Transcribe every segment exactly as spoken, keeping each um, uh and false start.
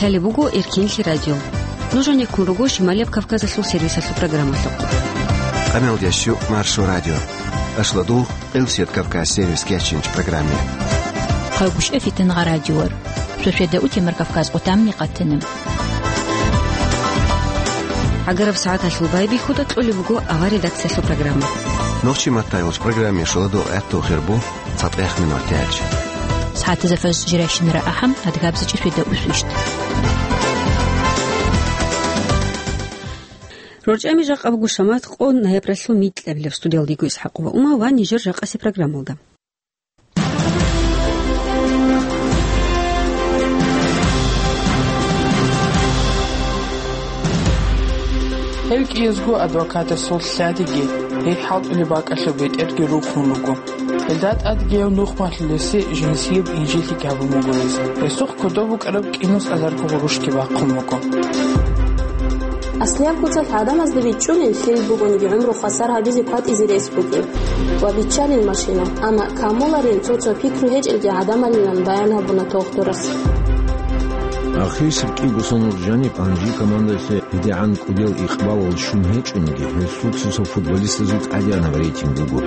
Лъалеб буго Эркенлъи радио. Нуж гьанеккун руго Шималияб Кавказалъул сервисалъул программалъухъ. Къамел ящу Маршо радио. Ашладул Элсият Кавказ сервис кячинч программе. Хъагушев Фитангъа радиор. Шошеда утемар Кавказ къутамни къатана. Агараб сагӀаталъул байбихьуда кьолеб буго авар редакциялъул программа. Нохчи маттайгъулч программе шоладо гӀатту хирбу. ЦатӀех минуталъ. СагӀатазда фажр жирайщинара ахӀам, адгабзичӀи шведа усвищ. РорчӀами жакъа буго шамат къо ноябралъул микьабилеб. Студиялда йиго ИсхӀакъова Ума ва нижер жакъаси программалда. Гьев кӀиязго адвокатасул лъадиги, гьей хӀалтӀулеб бакӀалъуб бетӀерги рухун руго. Гьелда тӀадги гьев нухмалъулесе жинсияб инжиллъи гьабун буго гьез. Гьесухъ кодоб букӀараб кӀинус азарго гъурущги бахъун буго. Аслияб куцалъ гӀадамазда бичӀчӀулин, лъил бугониги гӀумру хвасар гьабизе кватӀизе рес бугеб ва биччалин машина, амма камуларин цо-цо пикру гьечӀелги гӀадамалилан баян гьабуна дохтурас. Ахирисеб кӀиго сонал жаниб Анжи командалъе гьедигӀан кӀудиял икъбалал щун гьечӀониги, гьесул цо-цо футболистазул тӀадегӀанаб рейтинг буго.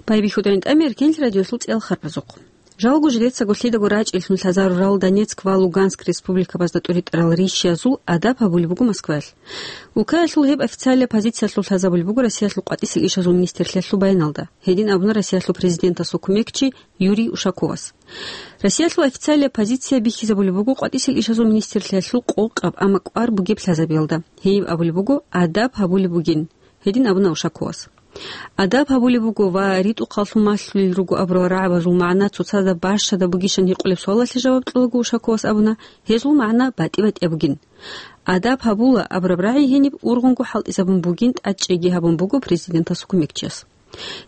Байбихьудайин тӀамер Кенлъи радиосул цӀиял харпазухъ. Жалго жидецаго лъидаго рачӀеллъун лъазарурал Донецк ва Луганск республикабазда тӀуритӀарал рищиязул адаб гьабулеб буго Москваялъ. Улкаялъул гьеб официалияб позициялъул лъазабулеб буго Россиялъул къватӀисел ишазул министрлъиялъул баяналда. Гьедин абуна Россиялъул президентасул кумекчи Юрий Ушаковас. Россиялъул официалияб позиция бихьизабулеб буго къватӀисел ишазул министрлъиялъул къокъаб, амма кӀвар бугеб лъазабиялда. Гьениб абулеб буго, адаб гьабулеб бугин. Гьедин абуна Ушаковас. Адаб гьабулеб буго ва ритӀухъаллъун малъулел руго абурал рагӀабазул магӀна цоцазда бащадаб бугищан гьикъулеб суалалъе жаваб кьолаго Ушаковас абуна, гьезул магӀна батӀи-батӀияб бугин. Адаб гьабула абураб рагӀи гьениб ургъунго хӀалтӀизабун бугин, тӀадчӀейги гьабун буго президентасул кумекчияс.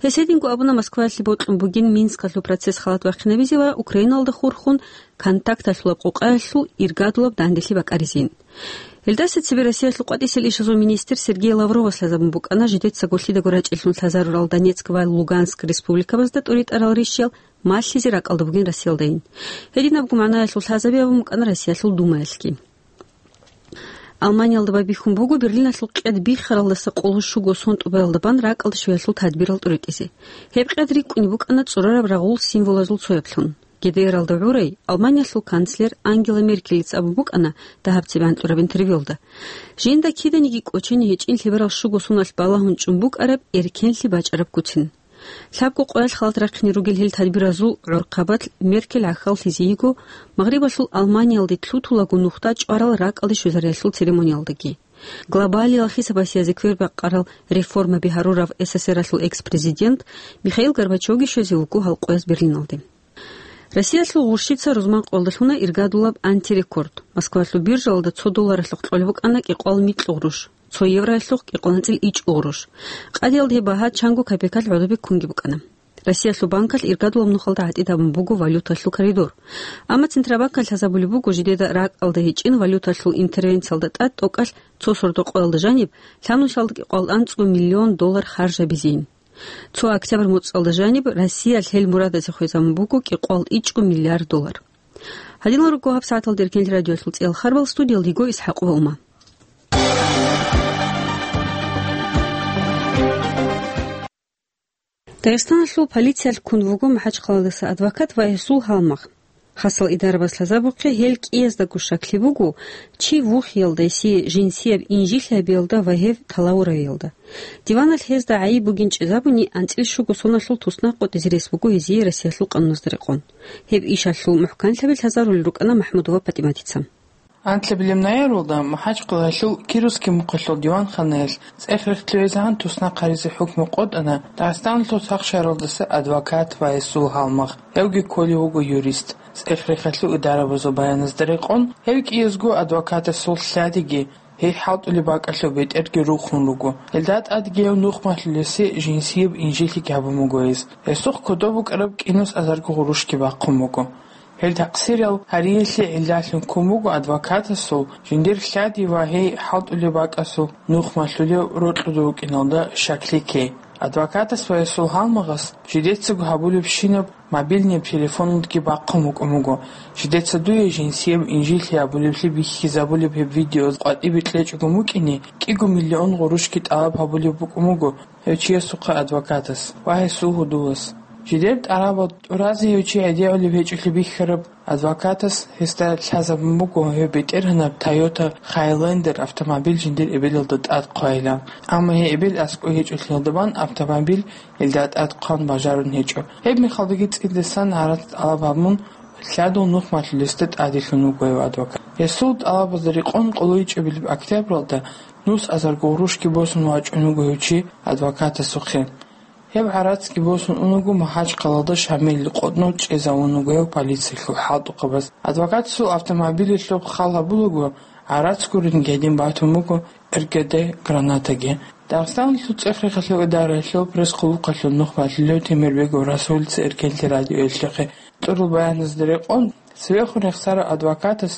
Гьес гьединго абуна Москваялъе бокьун бугин Минскалъул процесс халат вахъинабизе ва Украиналда хурхун контакталъулаб къокъаялъул иргадулаб данделъи бакӀаризейин. Гьелдаса цебе Россиялъул къватӀисел ишазул министр Сергей Лавровас лъазабун букӀана жидецаго лъидаго рачӀеллъун лъазарурал Донецк ва Луганск республикабазда тӀуритӀарал рищиял малъизе ракӀалда бугин Россиялдайин. Гьединабго магӀнаялъул лъазаби абун букӀана Россиялъул Думаялъги. Алманиялда байбихьун буго Берлиналъул къед биххаралдаса къоло щуго сон тӀубаялда бан ракӀалде щвеялъул тадбирал тӀуритӀизе. Гьеб къед рикӀкӀунеб букӀана цӀурараб рагъул символазул цояблъун. ГДРалда гӀурай Алманиялъул канцлер Ангела Меркелица абун букӀана дагьаб цебе анкьураб интервьюялда. Жинда киданиги кӀочене гьечӀин лъеберал щуго соналъ балагьун чӀун букӀараб эркенлъи бачӀараб куцин. Лъабго къоялъ халат рахъине ругел гьел тадбиразул гӀорхъабалъ Меркель гӀахьаллъизе йиго Магърибалъул Алманиялде лъутулаго нухда чӀварал ракӀалде щвезариялъул церемониялдаги. Глобалиялъ хисабасиязде квербакъарал реформаби гьарурав СССРалъул экс-президент Михаил Горбачевги щвезе вуго гьал къояз Берлиналде. Россиялъул гъурщица рузман къоялдалъуна иргадулаб антирекорд. Москвалъул биржалда цо долларалъухъ кьолеб букӀана кӀикъоялда микьго гъурущ, цо евроялъухъ кӀикъоялда анцӀила ичӀго гъурущ. Къадиялда гьеб багьа чанго копейкалъ гӀодобе ккунги букӀана. Россиялъул банкалъ иргадулаб нухалда гӀатӀид гьабун буго валюталъул коридор. Амма Центробанкалъ лъазабулеб буго жидеда ракӀалда гьечӀин валюталъул интервенциялда тӀад тӀокӀалъ цо сордо къоялда жаниб лъабнусиялда кӀикъоялда анцӀго миллион доллар харжабизейин. Цо октябрь моцӀалда жаниб Россиялъ гьел мурадазе хвезабун буго кӀикъоялда ичӀго миллиард доллар. Гьадинал руго гьаб сагӀаталда Эркенлъи радиоялъул цӀиял харбал, студиялда йиго ИсхӀакъова Ума. Дагъистаналъул полициялъ ккун вуго МахӀачхъаладаса адвокат ва гьесул гьалмагъ. Хасал идарабаз лъазабухъе, гьел кӀияздаго щаклъи буго чи вухиялда, гьесие жинсияб инжиллъи гьабиялда ва гьев талавуравиялда. Диваналъ гьезда гӀайиб бугин чӀезабуни, анцӀила щуго соналъул туснакъ къотӀизе рес буго гьезие Россиялъул къануназда рекъон. Гьеб ишалъул мухӀканлъаби лъазарулел рукӀана МахӀмудова ПатӀиматица. Анлъабилеб ноябралда МахӀачхъалаялъул Кировский мухъалъул диванханаялъ цӀех-рехтӀлъугӀизегӀан туснахъ гьаризе хӀукму къотӀана Дагъистаналъул сахшаралдаса адвокат ва гьесул гьалмагъ, гьевги кколев вуго юрист. ЦӀех-рехалъул идарабазул баяназда рекъон, гьев кӀиязго адвокатасул лъадиги, гьей хӀалтӀулеб бакӀалъуб бетӀерги рухун руго. Гьелда тӀадги гьев нухмалъулесе жинсияб инжиллъи гьабун буго гьез. Гьесухъ кодоб букӀараб кӀинус азарго гъурущги бахъун буго. Гьел такъсирал гьариялъе гӀиллалъун ккун буго адвокатасул жиндир лъади ва гьей хӀалтӀулеб бакӀалъуб нухмалъулев рокьулев вукӀиналда щаклъи ккей. Адвокатас ва гьесул гьалмагъас жидецаго гьабулебщинаб мобильный телефоналдги бахъун букӀун буго, жидеца дуе жинсияб инжит гьабулеблъи бихьизабулеб гьеб видео къватӀибе кьечӀого букӀине, кӀиго миллион гъурущги тӀалаб гьабулеб букӀун буго гьев чиясухъе адвокатас ва гьесул гьудулас. Жидер тӀарабал тӀуразе гьев чи гӀедегӀулеб гьечӀолъи бихьараб адвокатас гьесда лъазабун буго гьев бетӀергьанаб Toyota Highlander автомобиль жиндир эбелалда тӀад хъвайилан. Амма гьей эбел аскӀов гьечӀолъиялда бан автомобиль гьелда тӀад хъван бажарун гьечӀо. Гьеб мехалдаги цӀидасан гӀарац тӀалаб гьабун, лъадул нухмалъулесда тӀаделъун вуго гьев адвокат. Гьесул тӀалабазда рекъон къоло ичӀабилеб октябралда нус азарго гъурущги босун вачӀун вуго гьев чи адвокатасухъе. Гьеб гӀарацги босун унаго, МахӀачхъалалда Шамилил къотӀнов чӀезавун вуго гьев полициялъул хӀалтӀухъабаз. Адвокатасул автомобилалъухъ хал гьабулаго, гӀарац гуринги гьедин батун буго РГД гранатаги. Дагъистаналъул цӀех-рехалъул идараялъул пресс-хъулухъалъул нухмалъулев Темирбегов Расулица Эркенлъи радиоялъухъе кьурал баяназда рекъон, цевехун рехсарав адвокатас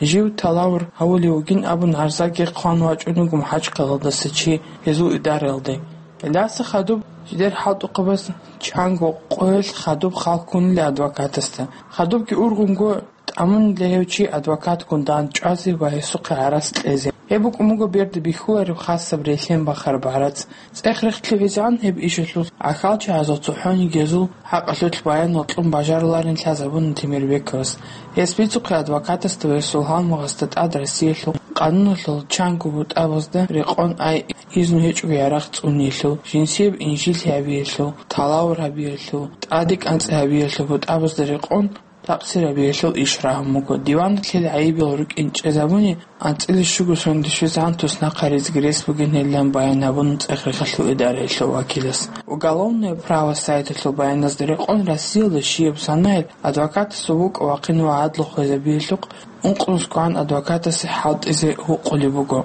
жив талавр гьавулев вугин абун гӀарзаги хъван вачӀун вуго МахӀачхъалалдаса чи гьезул идараялде. Гьелдаса хадуб жидер хӀалтӀухъабаз чанго къоялъ хадуб хал ккунила адвокатасда. Хадубги ургъунго тӀамунила гьев чи адвокатгун дандчӀвазе ва гьесухъе гӀарац кьезе. Гьеб букӀун буго берда бихьулареб хасаб релълъен бахараб гӀарац. ЦӀех-рехлъи гӀезегӀан гьеб ишалъул гӀахьалчагӀазул цохӀониги гьезул хӀакъалъулъ баянал кьун бажаруларин лъазабуна Темирбековас. Гьес бицухъе адвокатасда ва гьесул гьалмагъасда тӀад Россиялъул къануналъул чанго бутӀабазда рекъон, ай изну гьечӀого ярагъ цӀуниялъул, жинсияб инжит гьабиялъул, талавр гьабиялъул, тӀаде кӀанцӀи гьабиялъул бутӀабазда рекъон, такъсир гьабиялъул иш рагьун буго. Диваналъ гьел гӀайибал рукӀин чӀезабуни, анцӀила щуго сондашвезегӀан туснахъ гьаризеги рес бугин гьелилан баян гьабуна цӀех-рехалъул идараялъул вакилас. Уголовное право сайталъул баяназда рекъон, Россиялда щибаб санагӀел адвокатасул вукӀа-вахъин ва гӀадлу хвезабиялъухъ ункънусгогӀан адвокатасе хӀалтӀизе гьукъулеб буго.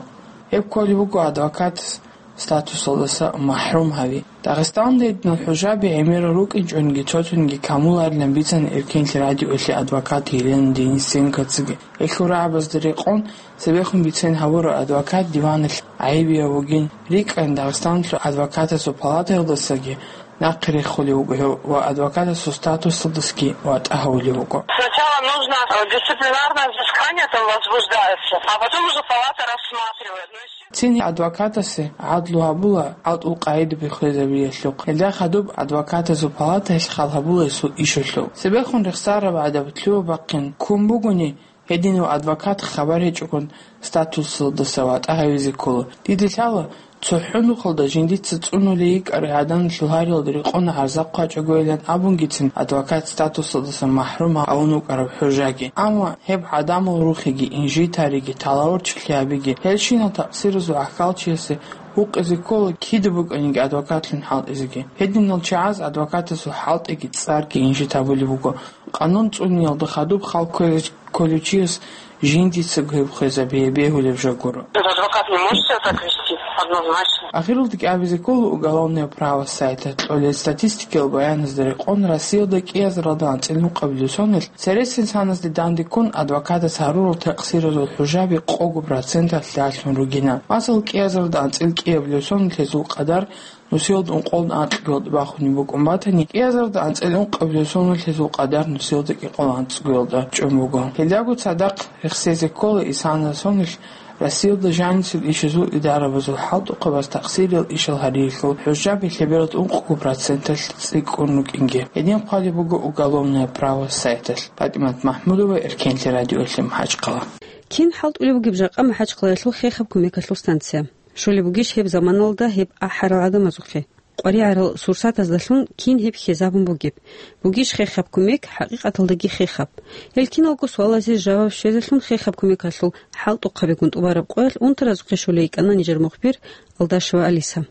Гьеб кколеб буго адвокатас статусалдаса махӀрум гьави. Дагъистаналда гьединал хӀужаби гӀемерал рукӀинчӀониги цо-цониги камуларилан бицана Эркенлъи радиоялъе адвокат Елена Денисенкоцаги. Гьелъул рагӀабазда рекъон, цебехун бицен гьабурав адвокат диваналъ гӀайибияв вугин, рикӀкӀана Дагъистаналъул адвокатасул палатаялдасаги нахъе рехулев вуго гьев ва адвокатасул статусалдасаги ватӀа гьавулев вуго. Сначала нужно, э, дисциплинарное взыскание там возбуждается, а потом уже палата рассматривает. Ну, естественно. Цин адвокатасе гӀадлу гьабула гӀалтӀул къагӀидаби хвезабиялъухъ. Гьелда хадуб адвокатазул палатаялъ хал гьабула гьесул ишалъул. Цебехун рехсараб гӀадаб лъугьа-бахъин ккун бугони, гьединав адвокат хабар гьечӀогун статусалдаса ватӀа гьавизе ккола. Дида лъала, цохӀо нухалда жиндица цӀунулей йикӀарай гӀаданалъул гьариялда рекъон гӀарза хъвачӀогойилан абунгицин адвокат статусалдаса махӀрум гьавун вукӀараб хӀужаги. Амма гьеб гӀадамал рухиги, инжитариги, талавурчилъи гьабиги, гьелщинал такъсиразул гӀахьалчиясе гьукъизе ккола кида букӀаниги адвокатлъун хӀалтӀизеги. Гьединал чагӀаз адвокатасул хӀалтӀиги цӀарги инжит гьабулеб буго. Къанун цӀуниялда хадуб хал кквезе кколев чияс жиндицаго гьеб хвезабие бегьулеб жо гуро. Адвокат не может себя так вести, однозначно. Ахиралдаги абизе ккола уголовное право сайта. Кьолел статистикиял баяназда рекъон, Россиялда кӀиазаралда анцӀил ункъабилеб сонилъ цересел саназде дандеккун адвокатас гьарурал такъсиразул хӀужаби къого проценталъ лъалъун ругина. Масал, кӀиазаралда анцӀил кӀиабилеб сонилъ гьезул къадар нусиялда ункъоялда анкьго бахунеб букӀун батани, кӀиазарда анцӀил ункъабилеб сонилъ гьезул къадар нусиялда кӀикъоялда анцӀгоялда чӀун буго. Гьелдаго цадахъ рехсезе ккола исана сонилъ Россиялда жанисел ишазул идарабазул хӀалтӀухъабаз такъсириял ишал гьариялъул хӀужаби лъебералда ункъго проценталъ цӀикӀкӀун рукӀинги. Гьедин хъвалеб буго уголовное право сайталъ. ПатӀимат МахӀмудова, Эркенлъи радиоялъе, МахӀачхъала. Кин хӀалтӀулеб бугеб жакъа МахӀачхъалаялъул хехаб кумекалъул станция? Щолеб бугищ гьеб заманалда гьеб ахӀарал гӀадамазухъе? КъваригӀарал сурсатаздалъун кин гьеб хьезабун бугеб? Бугищ хехаб кумек, хӀакъикъаталдаги хехаб? Гьел киналго суалазе жаваб щвезелъун хехаб кумекалъул хӀалтӀухъабигун тӀубараб къоялъ унтаразухъе щолей йикӀана нижер мухбир Алдашева Алиса.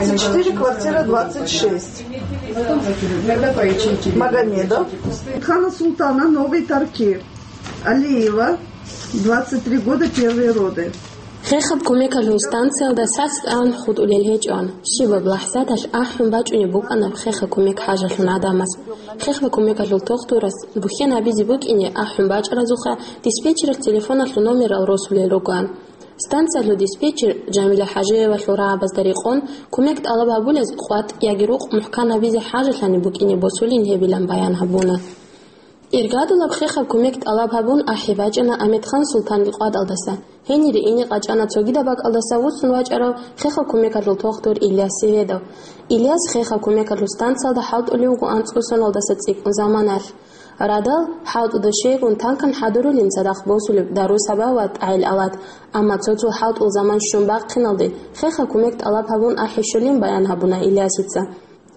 Четыре, квартира двадцать шесть. Магомедов. Хана Султана, Новый Тарки. Алиева, двадцать три года, первые роды. Хехаб кумекалъул станциялда сацӀцӀан хутӀулел гьечӀоан. Щибаб лахӀзаталъ ахӀун бачӀунеб букӀана хехаб кумек хӀажалъун гӀадамаз. Хехаб кумекалъул тухтурас бухьен гьабизе букӀине ахӀун бачӀаразухъа диспетчералъ телефоналъул номерал росулел ругоан. Станциялъул диспетчер Жамиля Хажиевалъул рагӀабазда рекъон, кумек тӀалаб гьабулез къватӀ яги рукъ мухӀкан гьабизе хӀажалъани букӀине босулин гьебилан баян гьабуна. Иргадулаб хехаб кумек тӀалаб гьабун ахӀи бачӀана Амедхан Султанил къватӀалдаса. Гьенире ине къачӀана цогидаб бакӀалдаса вуссун вачӀарав хехаб кумекалъул тохтур Ильяс Севедов. Ильяс хехаб кумекалъул станциялда хӀалтӀулев вуго анцӀго соналдаса цӀикӀкӀун заманалъ. Радал хӀалтӀуда щайгун танкан хӀадурулин цадахъ босулеб дару-саба ва тӀагӀел-алат, амма цо-цо хӀалтӀул заман щун бахъиналде хехаб кумек тӀалаб гьабун ахӀи щолин баян гьабуна Ильясица.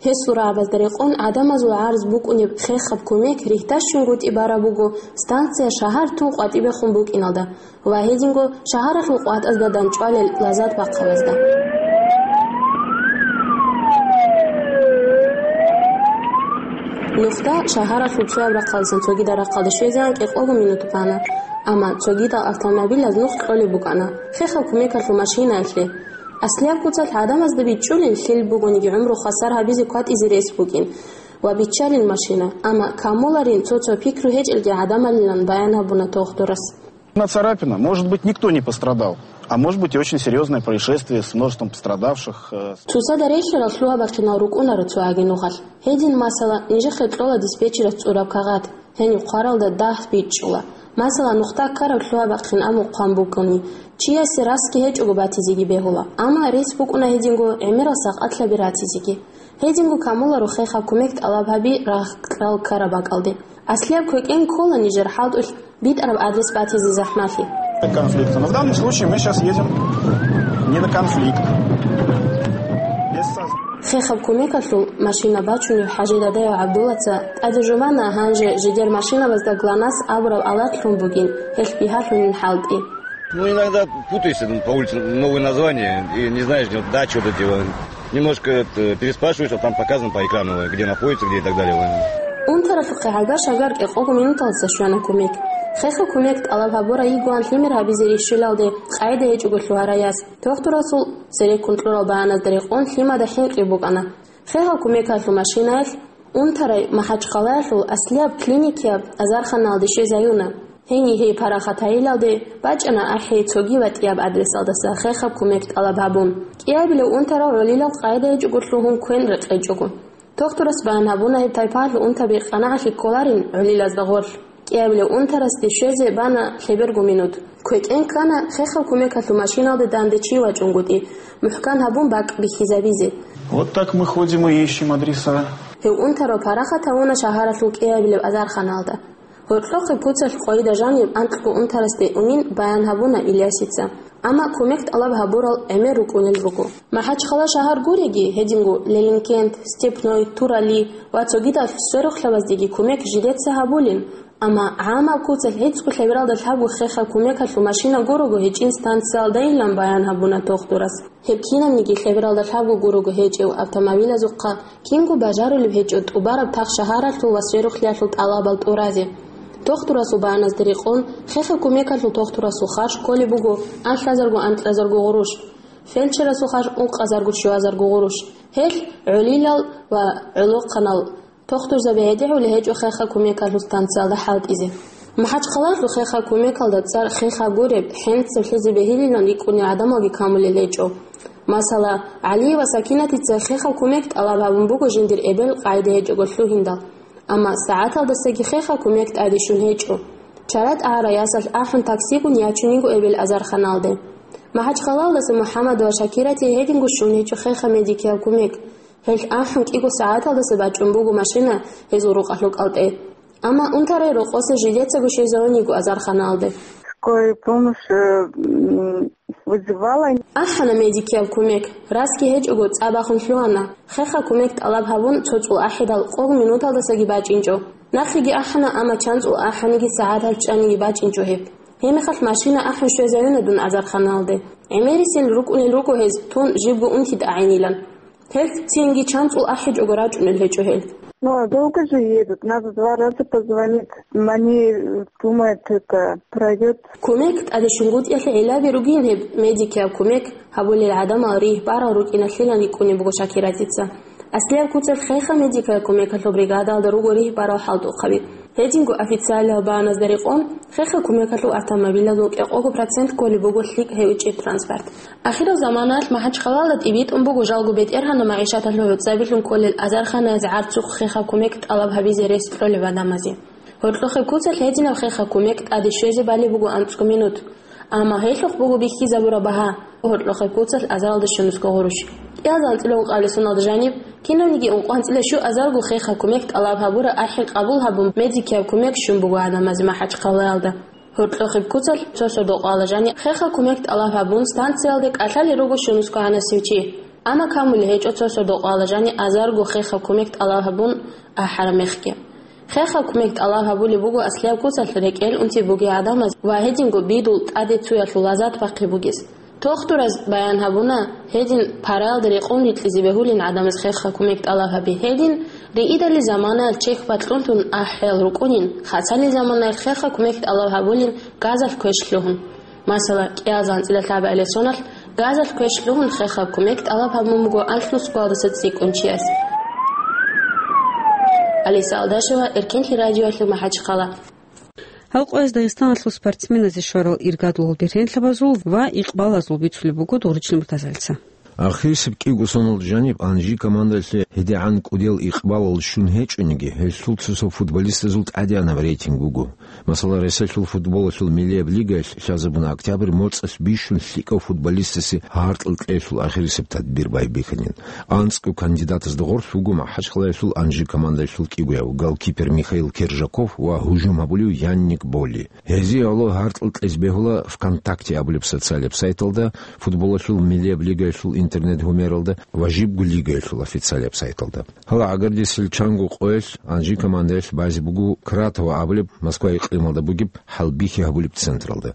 Гьесул рагӀабазда рекъон гӀадамазул гӀарз букӀунеб хехаб кумек рихьдашунгутӀи бараб буго станция шагьар тун къватӀибехун букӀиналда ва гьединго шагьаралъул къватӀазда дандчӀвалел лазат бахъабазда. Нухда шагьаралъул цояб рахъалдасан цогидал рахъалде щвезегӀан кӀикъого минут бана, амма цогидал автомобилаз нух кьолеб букӀана, хехаб кумекалъул машинаялъе. Аслияб куцалъ гӀадамазда бичӀчӀулин лъил бугониги гӀумру хвасар гьабизе кватӀизе рес букӀин ва биччалин машина, амма камуларин цо-цо пикру гьечӀелги гӀадамалилан баян гьабуна тохтурас. Одна царапина. Может быть, никто не пострадал. А может быть, и очень серьёзное происшествие с множеством пострадавших, э, с Цоцазда релълъарал лъугьа-бахъинал рукӀунаро цо агенугъалъ. Гьедин, масала, нижехъе кьола диспетчерас цӀураб кагъат. Гьениб хъваралда дагь бичӀчӀула. Масала, нухда ккараб лъугьа-бахъин абун хъван букӀуни, чиясе расги гьечӀого батизеги бегьула, амма рес букӀуна гьединго гӀемерал сакъатлъаби ратизеги. Гьединго камуларо хехаб кумек тӀалаб гьаби рагъ кьал ккараб бакӀалде. Аслияб квекӀен ккола нижер хӀалтӀулъ битӀараб адрес батизе захӀмалъи. Конфликта. Но в данном случае мы сейчас едем не на конфликт. Без соз- Хехаб кумекалъул машина бачунев ХӀажидадев ГӀабдуллаца тӀаде жубана гьанже жидер машинабазда ГЛОНАСС абураб алат лъун бугин, гьелъ бигьалъунин хӀалтӀи. Ну, иногда путаешься, ну, по улице, новые названия, и не знаешь, где вот дача вот эти вот. Немножко это, переспрашиваешь, а там показано по экрану, где находится, где и так далее. Унтаралъухъе гӀага шагар кӀикъого минуталдаса щвана кумек. Хехаб кумек тӀалаб гьабура йигоан лъимер гьабизе рищулалде къайда гьечӀого лъугьараяс. Тохтурасул цереккун кьурал баяназда рекъон лъимада хӀинкъи букӀана. Хехаб кумекалъул машинаялъ Унтарай МахӀачхъалаялъул аслияб клиникияб азарханалде щвезаюна. Гьенив гьей парахат гьайилалде бачӀана ахӀи цоги ватӀияб адресалдаса хехаб кумек тӀалаб гьабун. КӀиабилев унтарав гӀолилал къайда гьечӀого лъугьун квен рекъечӀого. Тохтурас баян гьабуна гьеб тайпаялъул унтаби къанагӀалъи кколарин гӀолилазда гъорлъ. КӀиабилев унтарасде щвезе бана лъеберго минут. КвекӀен ккана хехаб кумекалъул машиналде данде чи вачӀунгутӀи, мухӀкан гьабун бакӀ бихьизабизе. Вот так мы ходим и ищем адреса. Гьев унтарав парахат гьавуна шагьаралъул кӀиабилеб азарханалда. Гьоркьохъеб куцалъ къвайда жаниб анкьго унтарасде унин баян гьабуна Ильясица. Амма кумек тӀалаб гьабурал гӀемер рукӀунел руго. МахӀачхъала шагьар гуреги, гьединго Леленкент, Степной, Турали ва цогидал сверухълъабаздеги кумек жидеца гьабулин. Амма гӀамаб куцалъ гӀицӀго лъебералда лъабго хехаб кумекалъул машина гурого гьечӀин станциялдайилан баян гьабуна тохтурас. Гьеб кинабниги лъебералда лъабго гурого гьечӀев автомобилазухъа кинго бажарулеб гьечӀо тӀубараб тахшагьаралъул ва сверухълъиялъул тӀалабал тӀуразе. Тохтурасул баяназда рекъон, хехаб кумекалъул тохтурасул харж кколеб буго анлъазарго-анкьазарго гъурущ, фельдшерасул харж ункъазарго-щуазарго гъурущ. Гьелъ гӀолилал ва гӀолохъанал тохтурзаби гӀедегӀулеб гьечӀо хехаб кумекалъул станциялда хӀалтӀизе. МахӀачхъалалъул хехаб кумекалда цӀар хехаб гуреб, хӀинцаблъизе бегьилилан рикӀкӀунел гӀадамалги камулел гьечӀо. Масала, ГӀалиева Сакинатица хехаб кумек тӀалаб гьабун буго жиндир эбел къайда гьечӀого лъугьиндал. Амма сагӀаталдасаги хехаб кумек тӀаде щун гьечӀо. Чара тӀагӀара ясалъ ахӀун таксигун ячун йиго эбел азарханалде. МахӀачхъалалдаса МухӀаммадова Шакирати гьединго щун гьечӀо хехаб медикияб кумек. Гьелъ ахӀун кӀиго сагӀаталдаса бачӀун буго машина гьезул рукъалъул кӀалтӀе. Амма унтарай рокъоса жидецаго щвезавун йиго азарханалде. Скорая помощь, э, м, вызывала. АхӀана медикияб кумек, расги гьечӀого цӀа бахун лъугьана. Хехаб кумек тӀалаб гьабун цо цӀул ахӀидал къого минуталдасаги бачӀинчӀо. Нахъеги ахӀана, амма чан цӀул ахӀаниги сагӀат гьалчӀаниги бачӀинчӀо гьеб. Гьебмехалъ машина ахӀун щвезаюна дун азарханалде. ГӀемерисел рукӀунел руго гьез тун жибго унти тӀагӀинилан. Гьелъ цинги чан цӀул ахӀичӀого рачӀунел гьечӀо гьел. Ну, а долго же едут? Надо два раза позвонить. Они, э, думают, это пройдёт. Кумек тӀаде щунгутӀиялъе гӀиллаби ругин гьеб медикияб кумек гьабулел гӀадамал ригь барал рукӀиналъилан рикӀкӀунеб буго Шакиратица. Аслияб куцалъ хехаб медикияб кумекалъул бригадалда руго ригь барал хӀалтӀухъаби. Гьединго официалиял багьаназда рекъон, хехаб кумекалъул автомобилазул кӀикъого процент кколеб буго лъикӀ гьечӀеб транспорт. Ахирал заманаялъ МахӀачхъалаялда тӀибитӀун буго жалго бетӀергьанаб магӀишаталъул гӀуцӀабилъун кколел азарханаялъ гӀарцухъ хехаб кумек тӀалаб гьабизе рес кьолеб гӀадамазе. Гьоркьохъеб куцалъ гьединаб хехаб кумек тӀаде щвезе балеб буго анцӀго минут. Амма гьелъухъ буго бихьизабураб багьа, гьоркьохъеб куцалъ азаралда щунусго гъурущ. КӀиазда анцӀила ункъабилеб соналда жаниб, кинавниги ункъоанцӀила щуазарго хехаб кумек тӀалаб гьабураб ахӀи къабул гьабун, медикияб кумек щун буго гӀадамазе МахӀачхъалаялда. Гьоркьохъеб куцалъ цо сордо-къоялда жаниб хехаб кумек тӀалаб гьабун, станциялде кӀалъалел руго щунусго гьанасев чи. Амма камулеб гьечӀо цо сордо-къоялда жаниб азарго хехаб кумек тӀалаб гьабун ахӀараб мехги. Хехаб кумек тӀалаб гьабулеб буго аслияб куцалъ рекӀел унти бугей гӀадамаз ва гьединго бидул тӀаде цуялъул лазат бахъи бугес. Тохтураз баян гьабуна, гьедин параялда рекъон рикьизе бегьулин гӀадамаз хехаб кумек тӀалаб гьаби. Гьедин, риидали заманаялъ чехь бакьун тун ахӀиял рукӀунин, хасани заманаялъ хехаб кумек тӀалаб гьабулин газалъ квеш лъугьун. Масала, кӀиазда анцӀила лъабабилеб соналъ газалъ квеш лъугьун хехаб кумек тӀалаб гьабун буго анлънусго балдаса цӀикӀкӀун чияс. Алиса Алдашева, Эркенлъи радиоялъул МахӀачхъала. Гьал къояз Дагъистаналъул спортсменазе щварал иргадулал бергьенлъабазул ва икъбалазул бицулеб буго Дугъричил Муртазалица. Ахирисеб кӀиго соналда жаниб Анжи командалъе гьедигӀан кӀудиял икъбалал щун гьечӀониги, гьелъул цо-цо футболистазул тӀадегӀанаб рейтинг буго. Масала, Росиялъул футболалъул миллияб лигаялъ лъазабуна октябрь моцӀалъ бищун лъикӀав футболистасе гьаркьал кьеялъул ахирисеб тадбир байбихьанин. АнцӀго кандидатазда гъорлъ вуго МахӀачхъалаялъул Анжи командалъул кӀигояв голкипер Михаил Кержаков ва гьужум гьабулев Янник Боли. Гьезие гӀоло гьаркьал кьезе бегьула ВКонтакте абулеб социалияб сайталда, футболалъул миллияб лигаялъул интернет-гьумералда ва жибго лигаялъул официалияб сайталда. Гьала гӀагардисел чанго къоялъ Анжи командаялъ базе буго Кратово абулеб Москва икълималда бугеб хӀалбихьи гьабулеб централда.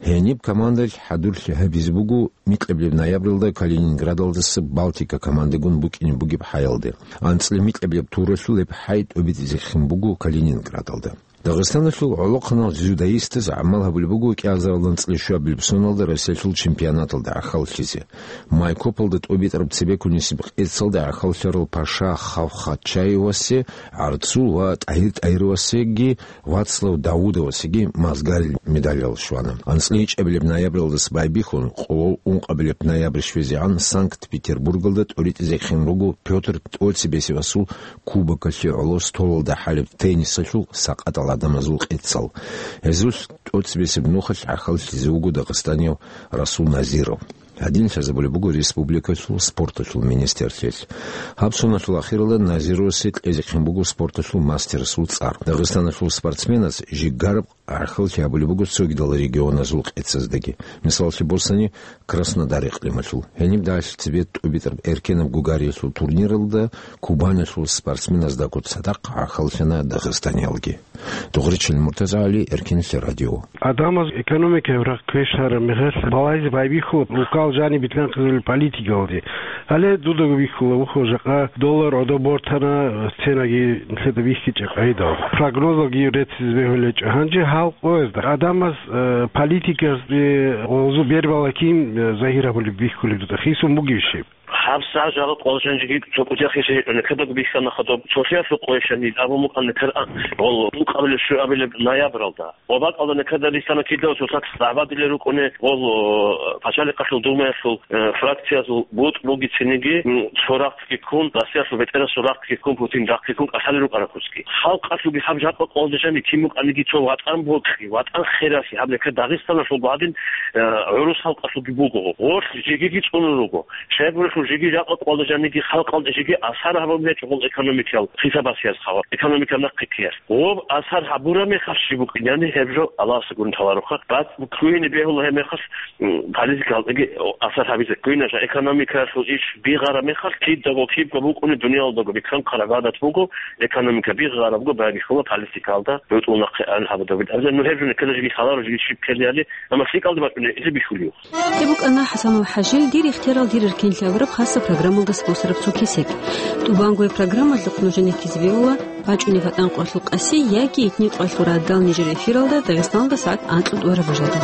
Гьениб командалъ хӀадурлъи гьабизе буго микьабилеб ноябралда Калининградалдаса Балтика командагун букӀине бугеб хӀаялде. АнцӀила микьабилеб туралъул гьеб хӀай тӀобитӀизехин буго Калининградалда. Дагъистаналъул гӀолохъанал дзюдоистаз гӀамал гьабулеб буго кӀиазаралда анцӀила щуабилеб соналда Россиялъул чемпионаталда гӀахьаллъизе. Майкопалда тӀобитӀараб цебеккунисеб къецалда гӀахьаллъарал Паша Хавхачаевасе, ГӀарцул ва ТӀагьир ТӀагьировасеги Вацлав Давудовасеги мазгарил медалал щвана. АнцӀила ичӀабилеб ноябралдаса байбихьун, къо ункъабилеб ноябрь щвезегӀан Санкт-Петербургалда тӀоритӀизехин руго Пётр ТӀоцебесевасул кубокалъе гӀоло столалда хӀалеб теннисалъул сакъатал гӀадамазул къецал. Гьезулъ тӀоцебесеб нухалъ гӀахьаллъизе вуго дагъистанияв Расул Назиров. Гьадин лъазабулеб буго республикалъул спорталъул министрлъиялъ. Гьаб соналъул ахиралда Назировасе кьезехъин буго спорталъул мастерасул цӀар. Дагъистаналъул спортсменаз жигараб гӀахьаллъи гьабулеб буго цогидал регионазул къецаздаги. Мисалалъе босани, Краснодар икълималъул. Гьениб дагьалъи цебе тӀубитӀараб эркенаб гугариялъул турниралда Кубанилъул спортсменаздаго цадахъ гӀахьаллъана дагъистаниялги. Дугъричил Муртазагьали, Эркенлъи радио. Адамаз экономикаяб рагъ квешараб мехалъ балагьизе байбихьула рукал жаниб битӀанхъизабулеб политикалде. Гьале дудаго бихьула, вухо, жакъа доллар гӀодоб бортана, ценаги нилъеда бихьичӀеб къагӀидал. Прогнозалги реццизе бегьулечӀо. Гьанже гьал къоязда адамаз, э, политикаялде гъозу бербала кин, э, загьир гьабулеб бихьулеб дуца хисун бугеб щиб? ГьабсагӀат жакъа къвалжанжиги цо кӀудияхъе жегьитӀуна, кидаго бихьана хадуб, цолъиялъул къойщани абун букӀана кар-, гъол, ункъабилеб щуабилеб ноябралда. Ва бакӀалда никадалъ лъана кидав цоцакс дагӀбадилел рукӀуна, гъол, о, Пачалихъалъул Думаялъул, э, фракциязул бутӀ бугециниги, м, цо рахъги ккун, Россиялъул бетӀерасул рахъги ккун, Путин рахъги ккун кӀалъалел рукӀараб куцги. Халкъалъулги гьаб жакъа къвалда жани кин букӀаниги цо ватӀан бокьи, ватӀан хералъи, гьаб никад Дагъистаналъулго гьадин, э, гӀурус халкъалъулги буго. Гъорлъ жегиги цӀунун руго. Щайгурелъул жеги жакъа къвалда жаниги халкъалда жеги асар гьабун гьечӀо гъол экономикиял хисабасиялъ хъавар, экономика нахъе ккеялъ. Гъоб асар гьабураб мехалъ щиб букӀин, яни гьеб жо Аллагьасда гурони лъалароха. Бат кквене бегьула гьеб мехалъ, м, политикалдаги асар гьабизе кквене жо. Экономикаялъул иш бигъараб мехалъ кидаго кибго букӀуни дуниялалдаго бихьанхъараб гӀадат буго, экономика бигъарабго байбихьула политикалда, бутӀул нахъе ан гьабудаб. Абзал ну гьеб жо никадалъ жеги лъаларо, жеги щиб ккела яни, амма лъикӀалда бачӀунеб гьезие бихьулев. Гьеб букӀана ХӀасанов ХӀажил «Дир ихтиярал, дир эркенлъи» абураб хасаб программалда спонсораб цо кесек. ТӀубанго гьеб программалъухъ нужеда ккезе бегьула бачӀунеб ВатӀан къоялъул къаси яги итни къоялъул радал нижер эфиралда Дагъистаналда сагӀат анкьго тӀураб бажалда.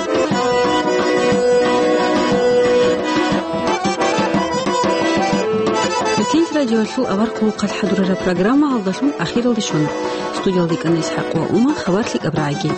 Эркенлъи радиоялъул авар хъулухъалъ хӀадурараб программа гьалдалъун ахиралде щвана. Студиялда ккана ИсхӀакъ ва Ума, хабар лъикӀаб рагӀиги.